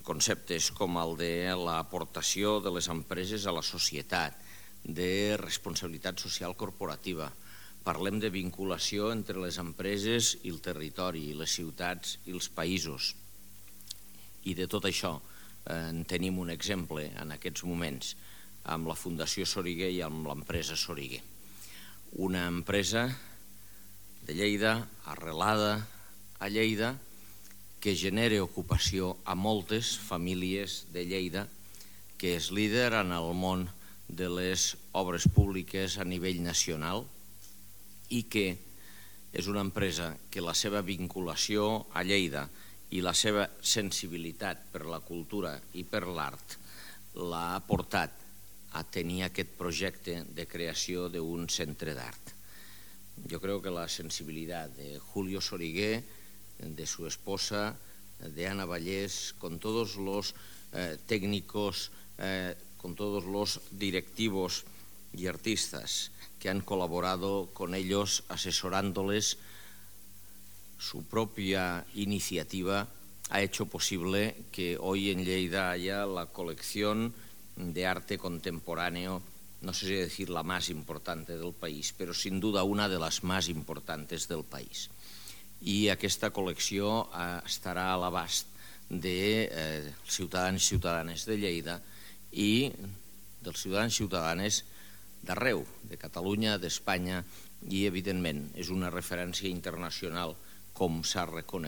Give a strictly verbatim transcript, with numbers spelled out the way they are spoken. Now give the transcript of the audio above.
conceptes com el de l'aportació de les empreses a la societat, de responsabilitat social corporativa. Parlem de vinculació entre les empreses i el territori, les ciutats i els països. I de tot això en tenim un exemple en aquests moments amb la Fundació Soriguer i amb l'empresa Soriguer. Una empresa de Lleida, arrelada a Lleida, que genera ocupació a moltes famílies de Lleida, que és líder en el món de les obres públiques a nivell nacional i que és una empresa que la seva vinculació a Lleida i la seva sensibilitat per la cultura i per l'art l'ha portat a tenir aquest projecte de creació d'un centre d'art. Yo creo que la sensibilidad de Julio Soriguer, de su esposa, de Ana Vallés, con todos los eh, técnicos, eh, con todos los directivos y artistas que han colaborado con ellos asesorándoles, su propia iniciativa ha hecho posible que hoy en Lleida haya la colección de arte contemporáneo, no sé si decir la más importante del país, pero sin duda una de las más importantes del país. I aquesta col·lecció estarà a l'abast dels ciutadans i ciutadanes de Lleida i dels ciutadans i ciutadanes d'arreu, de Catalunya, d'Espanya, i evidentment és una referència internacional com s'ha reconegut.